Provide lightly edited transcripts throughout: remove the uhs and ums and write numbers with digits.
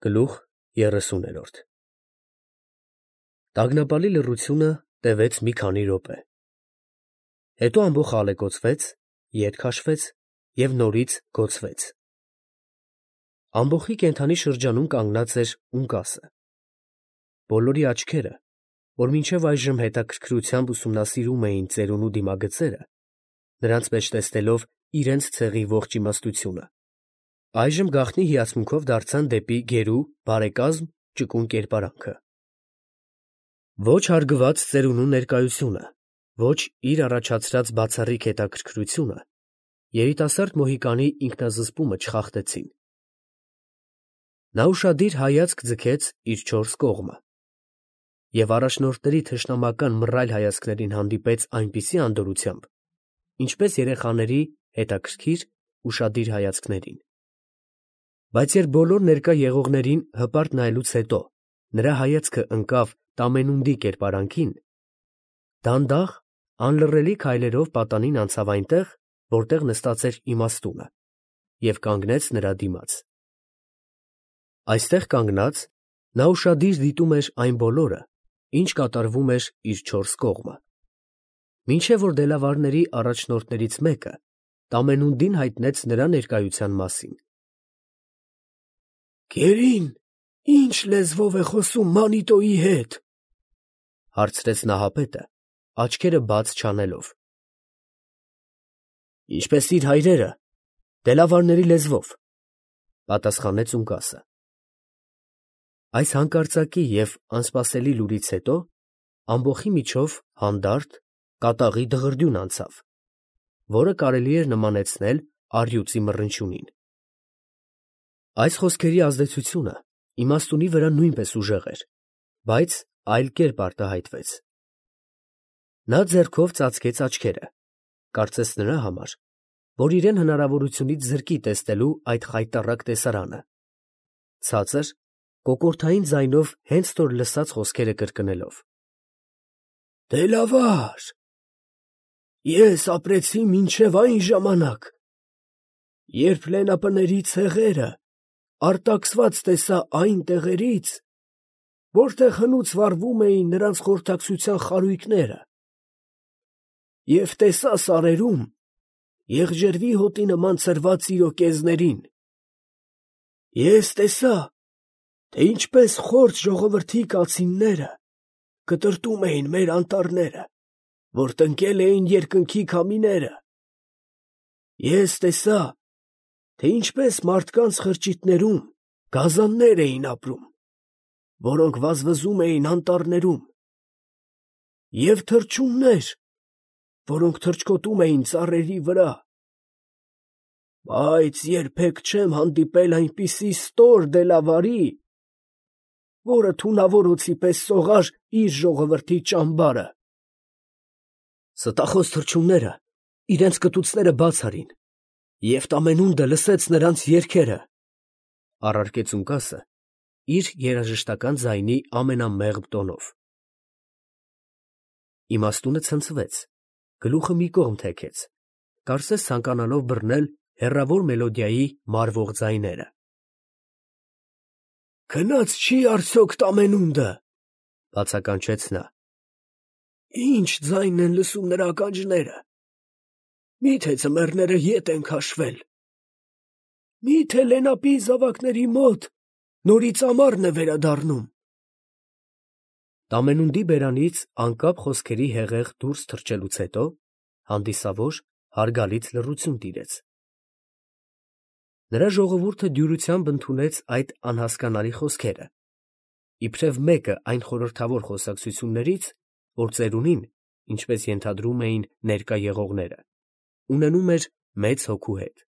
Գլուխ 30 Տագնապալի լռությունը տևեց մի քանի րոպե, հետո ամբոխ ալեկոծվեց, ետ քաշվեց և նորից գոծվեց. ամբոխի կենդանի շրջանում կանգնած էր ունկասը, բոլորի աչքերը, որ մինչև այժմ հետաքրքրությամբ ուսումնասիրում էին ծերունու դիմագծերը, նրանց մեջ տեսնելով իրենց ցեղի ողջ իմաստությունը, այժմ գաղտնի հիացմունքով դարձան դեպի գերու, բարեկազմ, ճկուն կերպարանքը. ոչ հարգված ծերունու ներկայությունը, ոչ իր առաջացրած բացառիկ հետաքրքրությունը երիտասարդ Մոհիկանի ինքնազսպումը չխախտեցին. նա ուշադիր հայացք ձգեց իր չորս կողմը և առաջնորդների թշնամական մռայլ հայացքներին հանդիպեց այնպիսի անդորրությամբ, ինչպես երեխաների հետաքրքիր, ուշադիր հայացքներին, բայց երբ բոլոր ներկա եղողներին հպարտ նայելուց հետո նրա հայացքը ընկավ Տամենունդի կերպարանքին, դանդաղ, անլռելի քայլերով պատանին անցավ այնտեղ, որտեղ նստած էր իմաստունը, և կանգնեց նրա դիմաց. այստեղ կանգնած, նա ուշադիր դիտում էր այն բոլորը, ինչ կատարվում էր իր չորս կողմը, մինչև որ դելավարների առաջնորդներից մեկը Տամենունդին հայտնեց նրա ներկայության մասին. «Գերին ի՞նչ լեզվով է խոսում Մանիտոյի հետ» հարցրեց նահապետը, աչքերը բաց չանելով։ «Ինչպես իր հայրերը, դելավարների լեզվով», պատասխանեց ունկասը։ Այս հանկարծակի և անսպասելի լուրից հետո ամբոխի միջով հանդարտ, կատաղի դղրդյուն անցավ, որը կարելի էր նմանեցնել առյուծի մռնչյունին։ Այս խոսքերի ազդեցությունը իմաստունի վրա նույնպես ուժեղ էր, բայց այլ կերպ արտահայտվեց. նա ձեռքով ծածկեց աչքերը, կարծես նրա համար, որ իրեն հնարավորությունից զրկի տեսնելու այդ խայտառակ տեսարանը, ցածր, կոկորդային ձայնով հենց նոր լսած խոսքերը կրկնելով. «Դելավար, ես ապրեցի մինչև այն ժամանակ, երբ լենապների ցեղերը արտաքսված տեսա այն տեղերից, որտեղ հնուց վառվում էին նրանց խորհրդակցության խարույկները, և տեսա սարերում եղջերվի հոտի նման ցրված իրոկեզներին. ես տեսա, թե ինչպես խորթ ժողովրդի կացինները կտրտում էին մեր անտառները, որ տնկել էին երկնքի քամիները. ես տեսա, թե ինչպես մարդկանց խրճիթներում գազաններ էին ապրում, որոնք վազվզում էին անտառներում, և թռչուններ, որոնք թռչկոտում էին ծառերի վրա, բայց երբեք չեմ հանդիպել այնպիսի ստոր դելավարի, որը թունավոր օձի պես սողար իր ժողովրդի ճամբարը»։ Ստախոս թռչունները իրենց կտուցները բաց արին, և Տամենունդը լսեց նրանց երգերը, առարկեց ունկասը իր երաժշտական ձայնի ամենամեղմ տոնով։ Իմաստունը ցնցվեց, գլուխը մի կողմ թեքեց, կարծես ցանկանալով բռնել հեռավոր մելոդիայի մարվող ձայները։ «Քնած չի՞ արդյոք Տամենունդը» բացականչեց նա։ «Ի՞նչ ձայն են լսում նրա ականջները, մի՞թե ձմեռները ետ են քաշվել, մի՞թե լենապի զավակների մոտ նորից ամառն է վերադառնում»։ Տամենունդի բերանից անկապ խոսքերի հեղեղ դուրս թռչելուց հետո հանդիսավոր, հարգալից լռություն տիրեց։ Նրա ժողովուրդը դյուրությամբ ընդունեց այդ անհասկանալի խոսքերը, իբրև մեկը այն խորհրդավոր խոսակցություններից, որ ծերունին, ինչպես ենթադրում էին ներկա եղողները, ունենում էր մեծ հոգու հետ։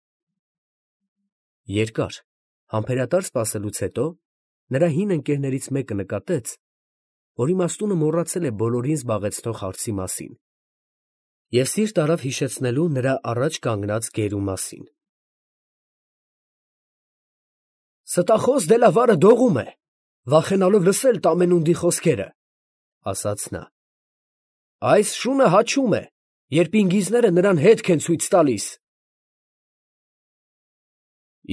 Երկար, համբերատար սպասելուց հետո նրա հին ընկերներից մեկը նկատեց, որ իմաստունը մոռացել է բոլորին զբաղեցնող հարցի մասին, և սիրտ արավ հիշեցնելու նրա առաջ կանգնած գերու մասին։ «Ստախոս դելավարը դողում է, վախենալով լսել Տամենունդի խոսքերը», ասաց նա։ «Այս շունը հաչում է, երբ ինգիզները նրան հետք են ցույց տալիս»։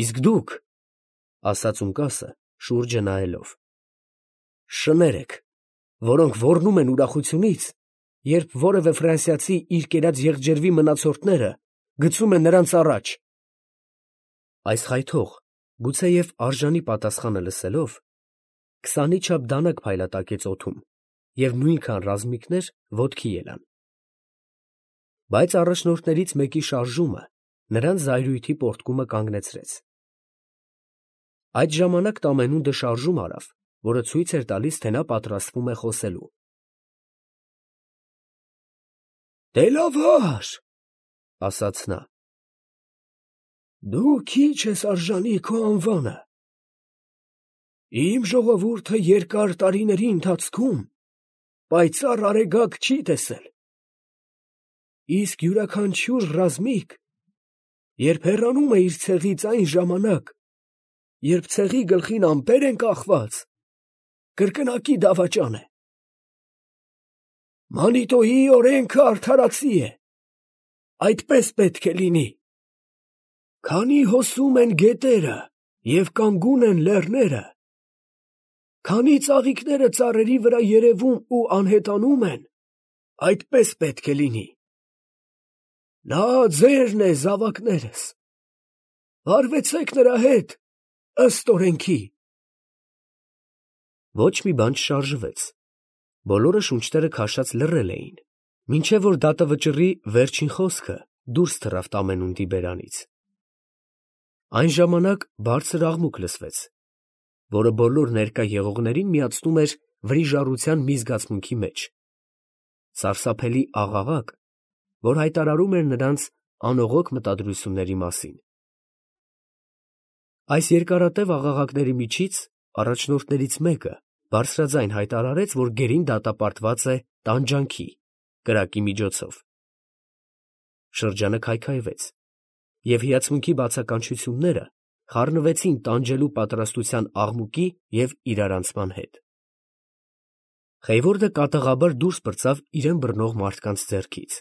«Իսկ դուք, ֊ ասաց ունկասը, շուրջը նայելով։ Շներ եք, որոնք ոռնում են ուրախությունից, երբ որևէ ֆրանսիացի իր կերած եղջերվի մնացորդները գցում է նրանց առաջ։ Այս խայթող, գուցեև արժանի պատասխանը լսելով, քսանի չափ դանակ փայլատակեց օդում և նույնքան ռազմիկներ ոտքի ելան։ Բայց առաջնորդներից մեկի շարժումը նրանց զայրույթի պոռթկումը կանգնեցրեց։ Այդ ժամանակ Տամենունդը շարժում արավ, որը ցույց էր տալիս, թե նա պատրաստվում է խոսելու։ Դելավար, ասաց նա, դու քիչ ես արժանի քո անվանը։ Իմ ժողովուրդը երկար տարիների ընթացքում պայծառ արեգակ չի տեսել։ Իսկ յուրաքանչյուր ռազմիկ, երբ հեռանում է իր ցեղից այն ժամանակ, երբ ցեղի գլխին ամպեր են կախված, կրկնակի դավաճան է։ Մանիտոյի օրենքը արդարացի է։ Այդպես պետք է լինի։ Քանի հոսում են գետերը և կանգուն են լեռները, քանի ծաղիկները ծառերի վրա երևում ու անհետանում են, այդպես պետք է լինի։ Նա ձերն է, զավակներս, վարվեցեք նրա հետ, ըստ օրենքի։ Ոչ մի բան չշարժվեց, բոլորը շունչները քաշած լռել էին, մինչև որ դատավճռի վերջին խոսքը դուրս թռավ Տամենունդի բերանից։ Այն ժամանակ բարձր աղմուկ լսվեց, որը բոլոր ներկա եղողներին միացնում էր վրիժառության մի զգացմունքի մեջ, սարսափելի աղաղակ, որ հայտարարում էր նրանց անողոք մտադրությունների մասին։ Այս երկարատև աղաղակների միջից առաջնորդներից մեկը բարձրաձայն հայտարարեց, որ գերին դատապարտված է տանջանքի, կրակի միջոցով։ Շրջանը քայքայվեց, և հիացմունքի բացականչությունները խառնվեցին տանջելու պատրաստության աղմուկի և իրարանցման հետ։ Խեյվորդը կատաղաբար դուրս պրծավ իրեն բռնող մարդկանց ձեռքից։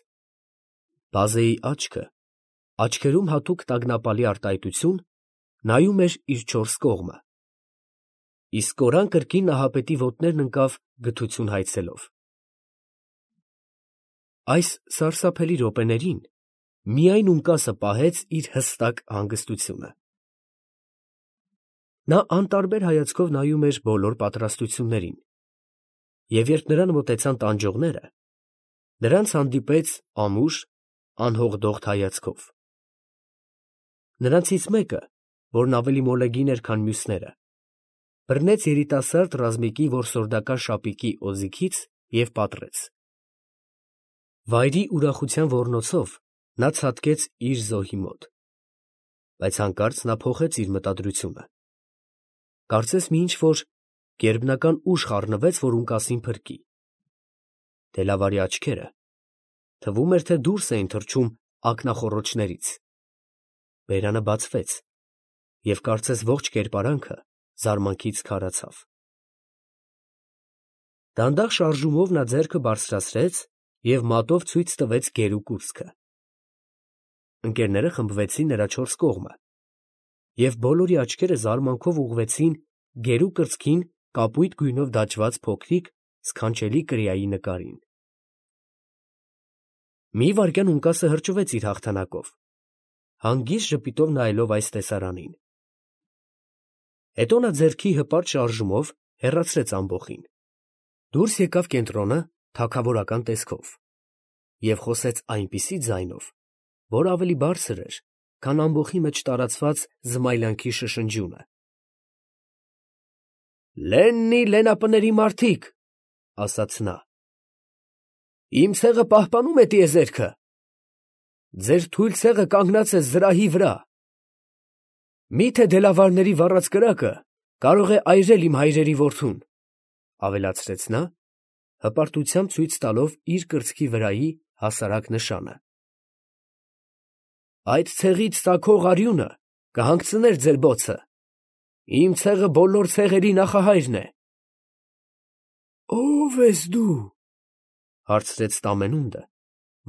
Բազեի աչքը, աչքերում հատուկ տագնապալի արտահայտություն, նայում էր իր չորս կողմը, իսկ կորան կրկին նահապետի ոտներն ընկավ գթություն հայցելով։ Այս սարսափելի րոպեներին միայն ունկասը պահեց իր հստակ հանգստությունը։ Նա անտարբեր հայացքով նայում էր բոլոր պատրաստություններին, և երբ նրան մոտեցան տանջողները, նրանց հանդիպեց ամուր, անհողդողդ հայացքով։ Նրանցից մեկը, որն ավելի մոլեգին էր, քան մյուսները, բռնեց երիտասարդ ռազմիկի որսորդական շապիկի օձիքից և պատռեց։ Վայրի ուրախության ոռնոցով նա ցատկեց իր զոհի մոտ, բայց հանկարծ նա փոխեց իր մտադրությունը։ Կարծես մի ինչ֊որ գերբնական ուժ խառնվեց, որ ունկասին փրկի։ Դելավարի աչքերը, թվում էր, թե դուրս էին թռչում ակնախոռոչներից։ Բերանը բացվեց, և կարծես ողջ կերպարանքը զարմանքից քարացավ։ Դանդաղ շարժումով նա ձեռքը բարձրացրեց և մատով ցույց տվեց գերու կուրծքը։ Ընկերները խմբվեցին նրա չորս կողմը, և բոլորի աչքերը զարմանքով ուղղվեցին գերու կրծքին կապույտ գույնով դաջված փոքրիկ, սքանչելի կրիայի նկարին։ Մի վայրկյան ունկասը հրճվեց իր հաղթանակով, հանգիստ ժպիտով նայելով այս տեսարանին։ Հետո նա ձեռքի հպարտ շարժումով հեռացրեց ամբոխին, դուրս եկավ կենտրոնը թագավորական տեսքով և խոսեց այնպիսի ձայնով, որ ավելի բարձր էր, քան ամբոխի մեջ տարածված զմայլանքի շշնջյունը։ «Լեննի լենապների մարդիկ, ֊ ասաց նա, ֊ իմ ցեղը պահպանում է տիեզերքը, ձեր թույլ ցեղը կանգնած է զրահի վրա։ Մի՞թե դելավարների վառած կրակը կարող է այրել իմ հայրերի որդուն, ֊ ավելացրեց նա, հպարտությամբ ցույց տալով իր կրծքի վրայի հասարակ նշանը։ Այդ ցեղից ծագող արյունը կհանգցներ ձեր բոցը, իմ ցեղը բոլոր ցեղերի նախահայրն է։ ֊ Ո՞վ ես դու, ֊ հարցրեց Տամենունդը,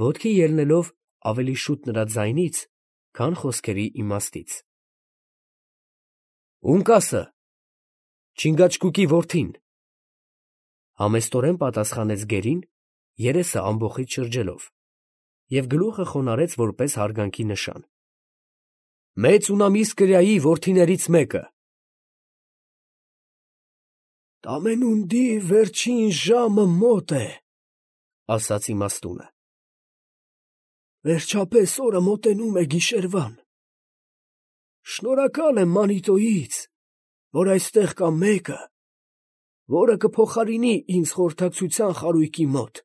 ոտքի ելնելով ավելի շուտ նրա ձայնից, քան խոսքերի իմաստից։ ֊ Ունկասը, Չինգաչկուկի որդին։ Համեստորեն պատասխանեց գերին, երեսը ամբոխից շրջելով, և գլուխը խոնարհեց որպես հարգանքի նշան։ Մեծ ունամիս կրյայի որդիներից մեկը։ Տամենունդի վերջին ժամը մոտ է, ասաց իմաստունը։ Վերջապես օրը մոտենում է գիշերվան։ Շնորհակալ եմ Մանիտոյից, որ այստեղ կա մեկը, որը կփոխարինի ինձ խորհրդակցության խարույկի մոտ։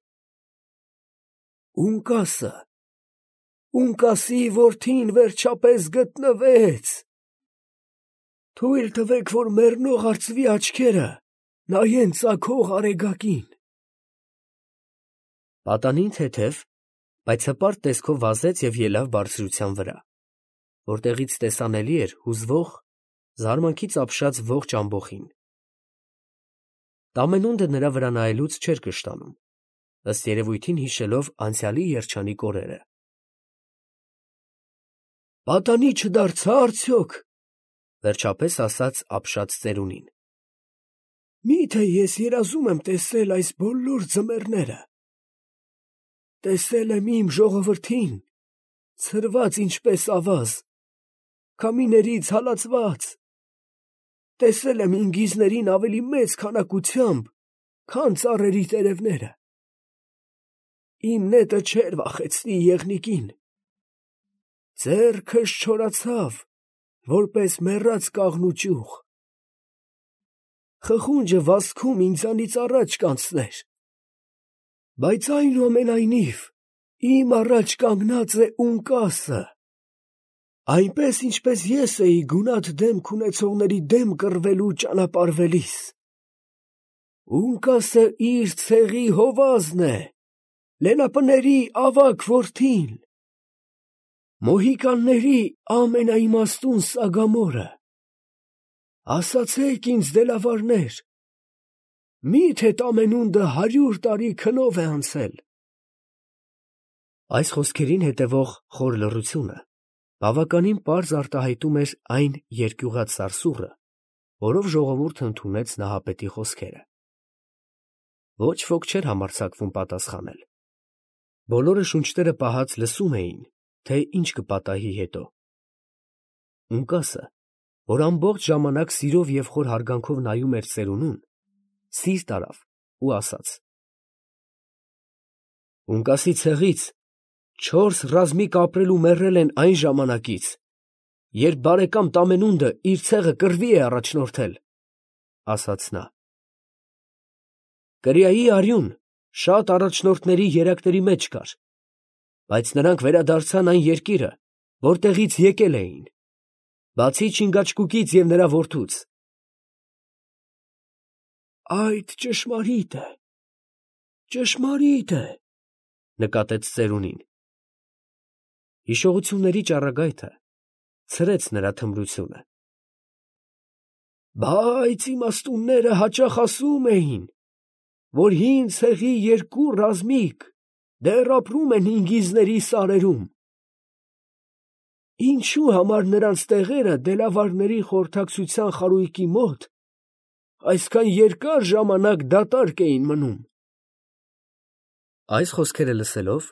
Ունկասի որդին վերջապես գտնվեց։ Թույլ տվեք, որ մեռնող արծվի աչքերը նայեն ծագող արեգակին։ Պատանին թեթև, բայց հպարտ տեսքով վազեց և ելավ բարձրության վրա, որտեղից տեսանելի էր հուզվող, զարմանքից ապշած ողջ ամբոխին։ Տամենունդը նրա վրա նայելուց չէր կշտանում, ըստ երևույթին հիշելով անցյալի երջանիկ օրերը։ Պատանի չդարձա՞ արդյոք, վերջապես ասաց ապշած ծերունին։ Միթե ես երազում եմ տեսել այս բոլոր ձմեռները։ Տեսել եմ իմ ժողովրդին, ցրված ինչպես ավազ, քամիներից հալածված։ Տեսել եմ ինգիզներին ավելի մեծ քանակությամբ, քան ծառերի տերևները։ Իմ նետը չէր վախեցնի եղնիկին։ Ձեռքս չորացավ, որպես մեռած կաղնու ճյուղ։ Խխունջը վազքում ինձանից առաջ կանցներ։ Բայց այնուամենայնիվ իմ առաջ կանգնած է Ունկասը, այնպես ինչպես ես էի գունատ դեմք ունեցողների դեմ կռվելու ճանապարհվելիս։ Ունկասը իր ցեղի հովազն է, լենապների ավագ որդին, մոհիկանների ամենաիմաստուն սագամորը։ Ասացեք ինձ, դելավարներ, միթե Տամենունդը 100 տարի քնով է անցել։ Այս խոսքերին հետևող խոր լռությունը բավականին պարզ արտահայտում էր այն երկյուղած սարսուռը, որով ժողովուրդը ընդունեց նահապետի խոսքերը։ Ոչ ոք չէր համարձակվում պատասխանել։ Բոլորը շունչները պահած լսում էին, թե ինչ կպատահի հետո։ Ունկասը, որ ամբողջ ժամանակ սիրով և խոր հարգանքով նայում էր ծերունուն, սիրտ արավ ու ասաց. Ունկասի ցեղից 4 ռազմիկ ապրել ու մեռել են այն ժամանակից, երբ բարեկամ Տամենունդը իր ցեղը կռվի է առաջնորդել, ասաց նա։ Կրիայի արյուն շատ առաջնորդների երակների մեջ կար, բայց նրանք վերադարձան այն երկիրը, որտեղից եկել էին, բացի Չինգաչկուկից և նրա որդուց։ Այդ ճշմարիտ է, նկատեց ծերունին։ Հիշողությունների ճառագայթը ցրեց նրա թմրությունը։ Բայց իմաստունները հաճախ ասում էին, որ հին ցեղի 2 ռազմիկ դեռ ապրում են ինգիզների սարերում։ Ինչու համար նրանց տեղերը դելավարների խորհրդակցության խարույկի մոտ այսքան երկար ժամանակ դատարկ էին մնում։ Այս խոսքերը լսելով,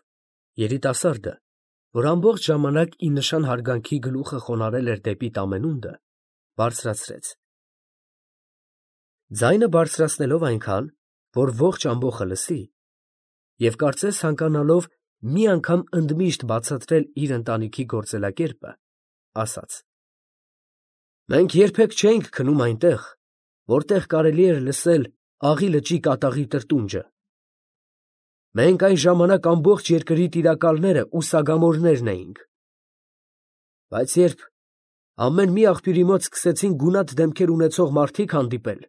երիտասարդը, որ ամբողջ ժամանակ ի նշան հարգանքի գլուխը խոնարհել էր դեպի Տամենունդը, բարձրացրեց։ Ձայնը բարձրացնելով այնքան, որ ողջ ամբոխը լսի, և կարծես ցանկանալով մի անգամ ընդմիշտ բացատրել իր ընտանիքի գործելակերպը, ասաց. Մենք երբեք չէինք քնում այնտեղ, որտեղ կարելի էր լսել Աղի լճի կատաղի տրտունջը։ Մենք այն ժամանակ ամբողջ երկրի տիրակալները ու սագամորներն էինք։ Բայց երբ ամեն մի աղբյուրի մոտ սկսեցին գունատ դեմքեր ունեցող մարդիկ հանդիպել,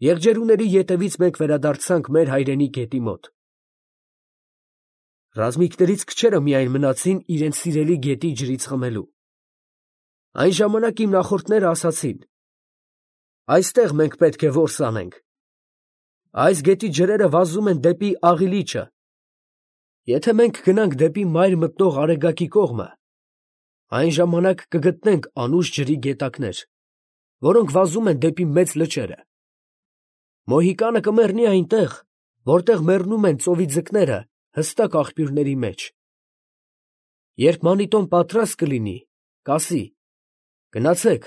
եղջերուների ետևից մենք վերադարձանք մեր հայրենի գետի մոտ։ Ռազմիկներից քչերը միայն մնացին իրենց սիրելի գետի ջրից խմելու։ Այն ժամանակ իմ նախորդները ասացին. այստեղ մենք պետք է որս անենք։ Այս գետի ջրերը վազում են դեպի Աղի լիճը։ Եթե մենք գնանք դեպի մայր մտնող Արեգակի կողմը, այն ժամանակ կգտնենք անուշ ջրի գետակներ։ որոնք վազում են դեպի մեծ լճերը։ Մոհիկանը կմեռնի այնտեղ, որտեղ մեռնում են ծովի ձկները հստակ աղբյուրների մեջ։ Երբ մանիտոն պատրաստ կլինի, կասի. «Գնացեք,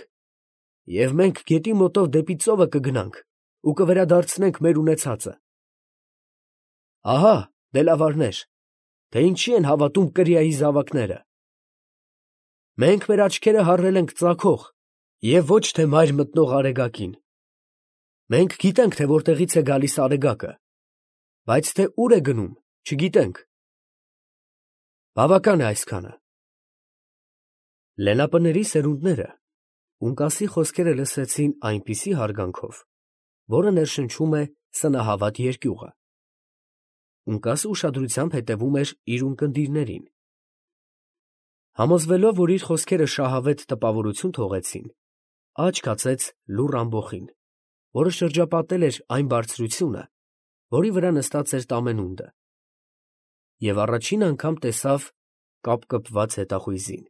և մենք գետի մոտով դեպի ծովը կգնանք ու կվերադարձնենք մեր ունեցածը»։ Ահա, դելավարներ, թե ինչի են հավատում կրիայի զավակները։ Մենք մեր աչքերը հառել ենք ծագող և ոչ թե մայր մտնող արեգակին։ Մենք գիտենք, թե որտեղից է գալիս արեգակը, բայց թե ուր է գնում, չգիտենք։ Բավական է այսքանը։ Լենապների սերունդները Ունկասի խոսքերը լսեցին այնպիսի հարգանքով, որը ներշնչում է սնահավատ երկյուղը։ Ունկասը ուշադրությամբ հետևում էր իր ունկնդիրներին։ Համոզվելով, որ իր խոսքերը շահավետ տպավորություն թողեցին, աչք հացեց լուռ ամբոխին, որը շրջապատել էր այն բարձրությունը, որի վրա նստած էր տամենունդը, և առաջին անգամ տեսավ կապկպված հետախույզին։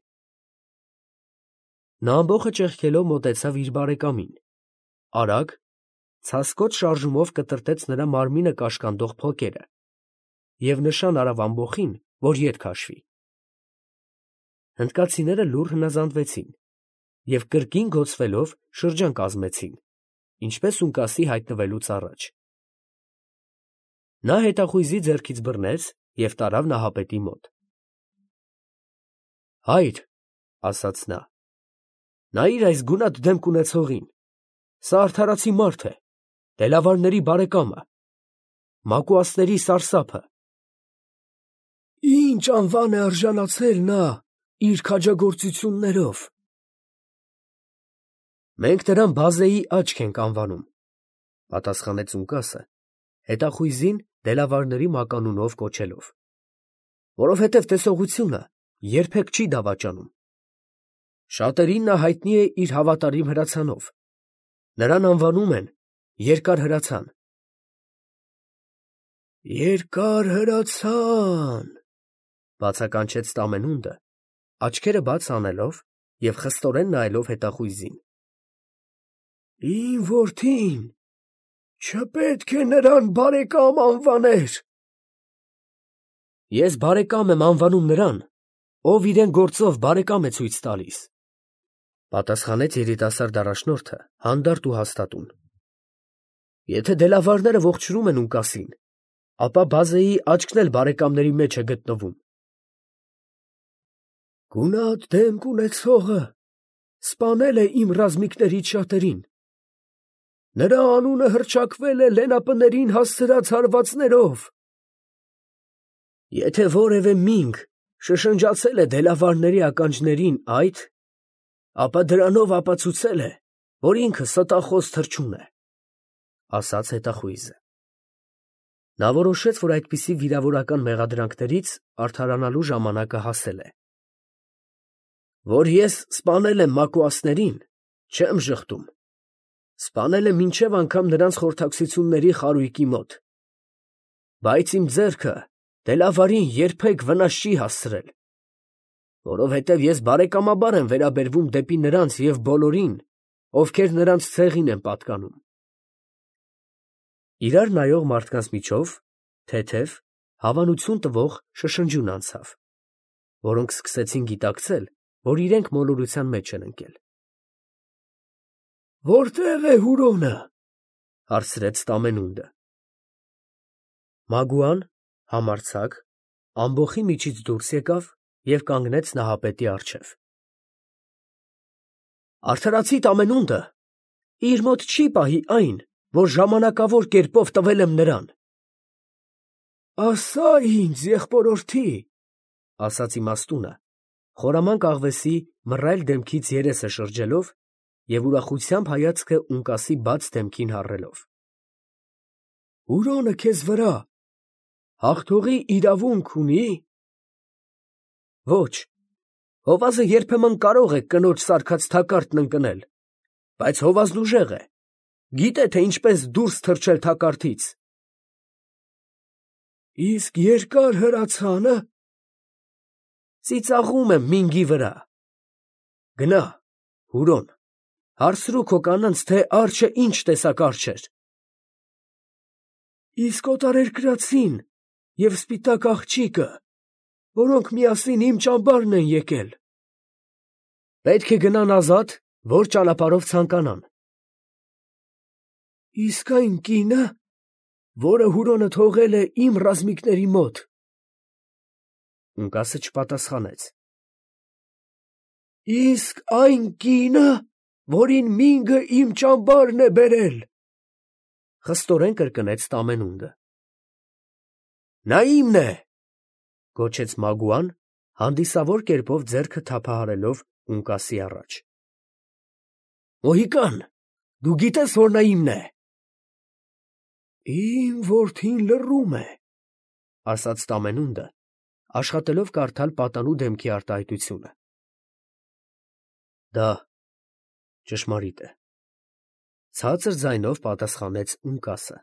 Նա ամբոխը ճեղքելով մոտեցավ իր բարեկամին, արագ, ցասկոտ շարժումով կտրտեց նրա մարմինը կաշկանդող փոկերը և նշան արավ ամբոխին, որ ետ քաշվի։ Հնդկացիները լուռ հնազանդվեցին և կրկին գոցվելով շրջան կազմեցին, ինչպես Ունկասի հայտնվելուց առաջ։ Նա հետախույզի ձեռքից բռնեց և տարավ նահապետի մոտ։ «Հայր, ֊ ասաց նա, ֊ նայիր այս գունատ դեմք ունեցողին, սա արդարացի մարդ է, դելավարների բարեկամը, մակուասների սարսափը։ Ինչ անվան է արժանացել նա իր քաջագործություններով։ Մենք նրան Բազեի աչք ենք անվանում, ֊ պատասխանեց Ունկասը, հետախույզին դելավարների մականունով կոչելով, որովհետև տեսողությունը երբեք չի դավաճանում։ Շատերին նա հայտնի է իր հավատարիմ հրացանով, նրան անվանում են Երկար հրացան։ Երկար հրացան, ֊ բացականչեց տամենունդը, աչքերը բաց անելով և խստորեն նայելով հետախույզին։ Իմ որդին չպետք է նրան բարեկամ անվաներ։ Ես բարեկամ եմ անվանում նրան, ով իրեն գործով բարեկամ է ցույց տալիս, ֊ պատասխանեց երիտասարդ առաջնորդը հանդարտ ու հաստատուն։ Եթե դելավարները ողջունում են Ունկասին, ապա Բազեի աչքն էլ բարեկամների մեջ է գտնվում։ Գունատ դեմք ունեցողը սպանել է իմ ռազմիկներից շատերին։ Նրա անունը հռչակվել է լենապներին հասցրած հարվածներով։ Եթե որևէ մինգ շշնջացել է դելավարների ականջներին այդ, ապա դրանով ապացուցել է, որ ինքը ստախոս թռչուն է, ֊ ասաց հետախույզը։ Նա որոշեց, որ այդպիսի վիրավորական մեղադրանքներից արդարանալու ժամանակը հասել է։ Որ ես սպանել եմ մակուասներին, չեմ ժխտում, սպանել եմ մինչև անգամ նրանց խորհրդակցությունների խարույկի մոտ, բայց իմ ձեռքը դելավարին երբեք վնաս չի հասցրել, որովհետև ես բարեկամաբար եմ վերաբերվում դեպի նրանց և բոլորին, ովքեր նրանց ցեղին են պատկանում։ Իրար նայող մարդկանց միջով թեթև, հավանություն տվող շշնջյուն անցավ, որոնք սկսեցին գիտակցել, որ իրենք մոլորության մեջ են ընկել։ Որտե՞ղ է Հուրոնը, ֊ հարցրեց տամենունդը։ Մագուան, համարձակ, ամբոխի միջից դուրս եկավ և կանգնեց նահապետի առջև։ Արդարացի տամենունդը իր մոտ չի պահի այն, որ ժամանակավոր կերպով տվել եմ նրան։ Ասա ինձ, եղբորորդի, ֊ ասաց իմաստունը, խորամանկ աղվեսի մռայլ դեմքից երեսը շրջելով և ուրախությամբ հայացքը Ունկասի բաց դեմքին հառելով։ Հուրոնը քեզ վրա հաղթողի իրավունք ունի։ Ոչ, հովազը երբեմն կարող է կնոջ սարքած թակարդն ընկնել, բայց հովազն ուժեղ է, գիտե, թե ինչպես դուրս թռչել թակարդից։ Իսկ երկար հրացանը ծիծաղում եմ մինգի վրա։ Գնա, Հուրոն, Հարցրու քո կանանց, թե արջը ինչ տեսակ արջ էր։ Իսկ օտարերկրացին և սպիտակ աղջիկը, որոնք միասին իմ ճամբարն են եկել։ Պետք է գնան ազատ, որ ճանապարհով ցանկանան։ Իսկ այն կինը, որը Հուրոնը թողել է իմ ռազմիկների մոտ։ Ունկասը չպատասխանեց։ Իսկ այն կինը, որին մինգը իմ ճամբարն է բերել, խստորեն կրկնեց Տամենունդը։ Նա իմն է, գոչեց Մագուան, հանդիսավոր կերպով ձեռքը թափահարելով Ունկասի առաջ։ Մոհիկան, դու գիտես, որ նա իմն է։ Իմ որդին լռում է, ասաց Տամենունդը, աշխատելով կարդալ պատանու դեմքի արտահայտությունը։ Դա ճշմարիտ է, ցածր ձայնով պատասխանեց Ունկասը։